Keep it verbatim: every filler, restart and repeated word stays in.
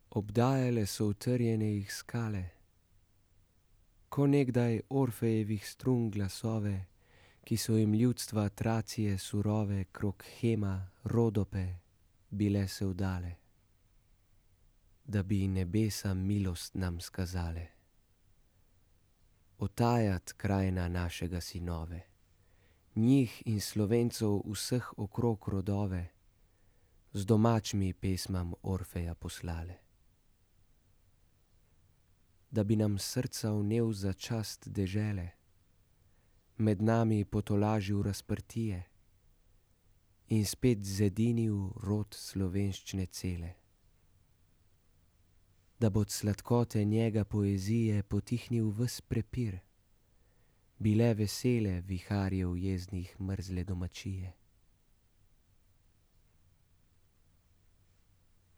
Obdajale so utrjene jih skale, ko nekdaj Orfejevih strun glasove, ki so jim ljudstva Tracije surove krog Hema, Rodope bile se vdale, da bi nebesa milost nam skazale. Otajat krajina našega sinove, njih in Slovencov vseh okrog rodove, z domačimi pesmam Orfeja poslale. Da bi nam srca vnel za čast dežele, med nami potolažil razprtije in spet zedinil rod slovenščine cele. Da bo od sladkote njega poezije potihnil ves prepir, bile vesele viharjev jeznih mrzle domačije.